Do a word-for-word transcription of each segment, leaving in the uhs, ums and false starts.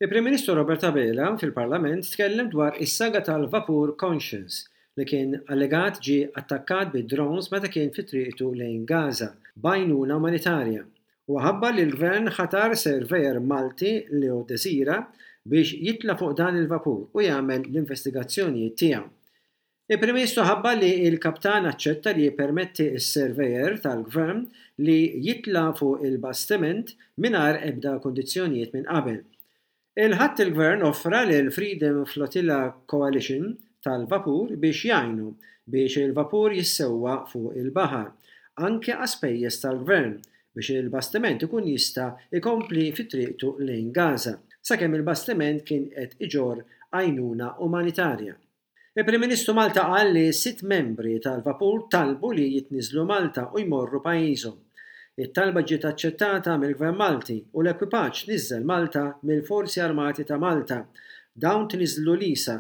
Il-Prim Ministru Robert Abela fil-Parlament tkellem dwar is-saga tal-vapur Conscience li kien allegat ġie attakkat bi drones meta kien fi triqtu lejn Gaza b'għajnuna umanitarja. U ħabbar li l-Gvern ħatar surveyor Malti, Leo Desira, biex jitla' fuq dan il-vapur u jagħmel l-investigazzjonijiet tiegħu. Il-Prim Ministru ħabbar li l-kaptan aċċetta li jippermetti s-surveyor tal-Gvern li jitla' fuq il-bastiment mingħajr ebda kundizzjonijiet minn qabel. Il-Ħadd il-Gvern offra lil Freedom Flotilla Coalition tal-vapur biex jgħinu biex il-vapur jissewwa fuq il-baħar, anke għas-spejjeż tal-Gvern, biex il-bastiment ikun jista' jkompli fi triqtu lejn Gaza, sakemm il-bastiment kien qed iġorr għajnuna umanitarja. Il-Prim Ministru Malta qal li sitt membri tal-vapur talbu li jitniżlu Malta u jmorru pajjiżhom. It-talba ġiet aċċettata mill-Gvern Malti u l-ekwipaġġ tniżżel Malta mill-Forzi Armati ta' Malta. Dawn tniżlu l-Isa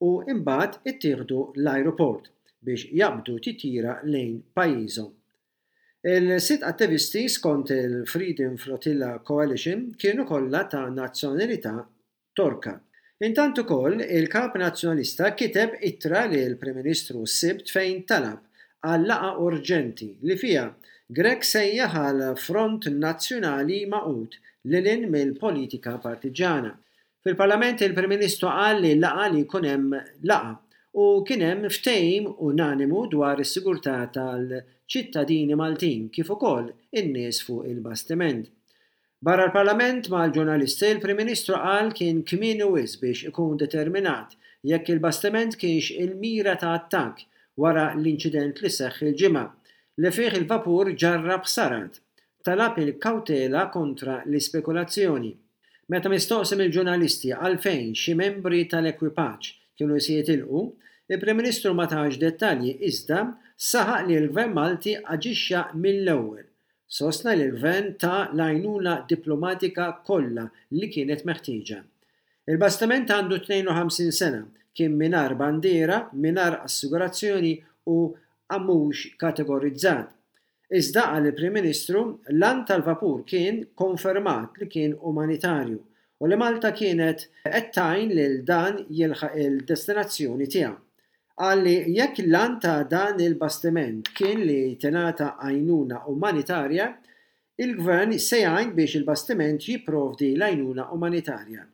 u imbagħad ittieħdu l-ajruport biex jaqbdu titjira lejn pajjiżhom. Il-sitt attivisti, skont il-Freedom Flotilla Coalition, kienu kollha ta' nazzjonalità Torka. Intant ukoll il-Kap Nazzjonalista kiteb ittra lill-Prim Ministru s-Sibt fejn talab għal laqgħa urġenti li fiha Grech sejjaħ għal front nazzjonali magħqud lil hinn mill-politika partiġġjana. Fil-Parlament il-Prim Ministru qal li laqgħa li jkun hemm laqgħa u kien hemm ftehim unanimu dwar is-sigurtà tal-ċittadini Maltin kif ukoll in-nies fuq il-bastiment. Barra l-Parlament mal-ġurnalisti, il-Prim Ministru qal kien kmieni wisq biex ikun determinat jekk il-bastiment kienx il-mira ta' attakk wara l-inċident li seħħ il-Ġimgħa, li fih il-vapur ġarrab ħsarat. Talab il-kawtela kontra l-ispekulazzjoni. Meta mistoqsi mill-ġurnalisti għalfejn xi membri tal-ekwipaġġ kienu se jitilqu, il-Prim Ministru ma tax dettalji iżda saħaq li l-Gvern Malti aġixxa mill-ewwel. Sostna li l-Gvern ta l-għajnuna diplomatika kollha li kienet meħtieġa. Il-bastiment għandu tnejn u ħamsin sena, kien mingħajr bandiera, mingħajr assigurazzjoni u mhux kategorizzat. Iżda qal il-Prim Ministru, l-għan tal-vapur kien konfermat li kien umanitarju u li Malta kienet qed tgħin lil dan jilħaq il-destinazzjoni tiegħu. Qal li jekk l-għan ta' dan il-bastiment kien li tingħata għajnuna umanitarja, il-Gvern se jgħin biex il-bastiment jipprovdi l-għajnuna umanitarja.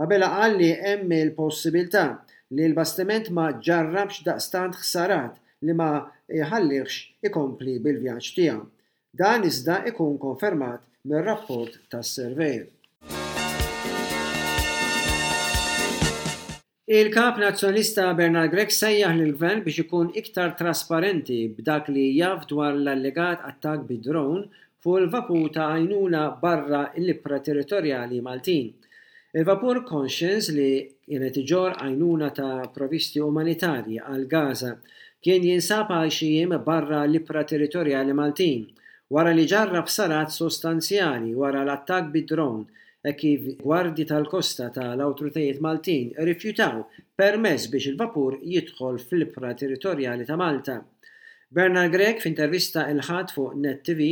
Abela qal li hemm il-possibilità li l-bastiment ma ġarrabx daqstant ħsarat li ma jħallihx ikompli bil-vjaġġ tiegħu. Dan iżda ikun konfermat mir-rapport tas-surveyor. Il-Kap Nazzjonalista Bernard Grech sejjaħ lill-Gvern biex ikun iktar trasparenti b'dak li jaf dwar l-allegat attakk bi drone fuq il-vapur ta' għajnuna barra l-ibħra territorjali Maltin. Il-vapur Conscience li kienet iġorr għajnuna ta' provisti umanitarji għal Gaza kien jinsab għal xi jiem barra l-ibħra territorjali Maltin wara li ġarrab ħsarat sostanzjali wara l-attakk bi drone e kif gwardji tal-kosta tal-awtoritajiet Maltin rrifjutaw permess biex il-vapur jidħol fl-ibħra territorjali ta' Malta. Bernard Grech f'intervista il-Ħadd fuq Net T V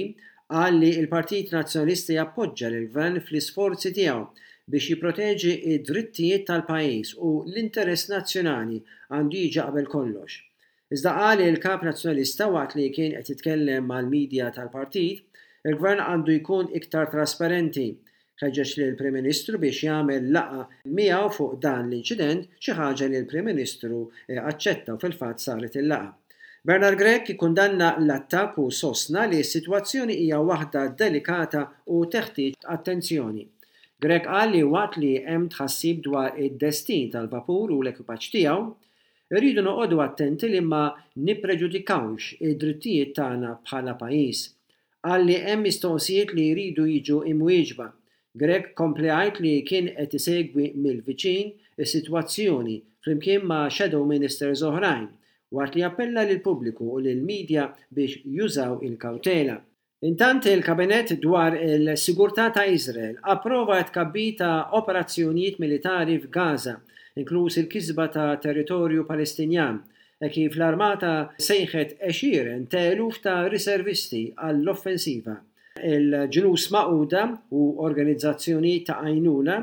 qal li l-Partit Nazzjonalista jappoġġa lill-Gvern fl-isforzi tiegħu biex jipproteġi id-drittijiet tal-pajjiż u l-interess nazzjonali għandu jiġi qabel kollox. Iżda qal li l-Kap Nazzjonalista waqt li kien qed jitkellem mal-medja tal-partit, il-Gvern għandu jkun iktar trasparenti. Ħeġġeġ lill-Prim Ministru biex jagħmel laqgħa miegħu fuq dan l-inċident, xi ħaġa li l-Prim Ministru aċċetta u fil-fatt saret il-laqgħa. Bernard Grech ikkundanna l-attakk u sostna li s-sitwazzjoni hija waħda delikata u teħtieġ attenzjoni. Grech qal li waqt li hemm tħassib dwar id-destin tal-vapur u l-ekwipaġġ tiegħu, irridu noqogħdu attenti li ma nippreġudikawx id-drittijiet tagħna bħala pajjiż. Qal li hemm mistoqsijiet li jridu jiġu imwieġba. Grech kompli jgħid li kien qed isegwi mill-viċin is-sitwazzjoni flimkien ma' shadow ministers oħrajn, waqt li appella lill-pubbliku u lill-medja biex jużaw il-kawtela. Intant il-Kabinett dwar il-Sigurtà ta' Izrael approva tkabbir ta' operazzjonijiet militari f'Gaza, inkluż il-kisba ta' territorju Palestinjan, e kif l-armata sejħet għexieren ta' eluf ta' riservisti għall-offensiva. Il-Ġnus Magħquda u organizzazzjonijiet ta' għajnuna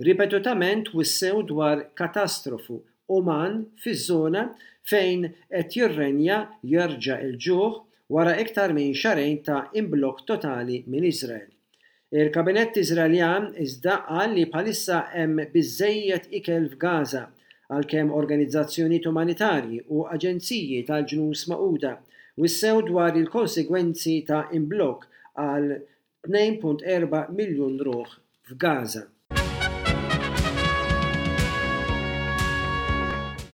ripetutament wissew dwar katastrofu uman fiż-żona fejn qed jirrenja jerġa' il-ġuħ wara iktar minn xahrejn ta' imblokk totali minn Iżrael. Il-kabinett Iżraeljan iżda qal li bħalissa hemm biżejjed ikel f'Gaza, għalkemm organizzazzjonijiet umanitarji u aġenziji tal-Ġnus Magħquda wissew dwar il-konsegwenzi ta' imblokk għal tnejn punt erba' miljun ruħ f'Gaza.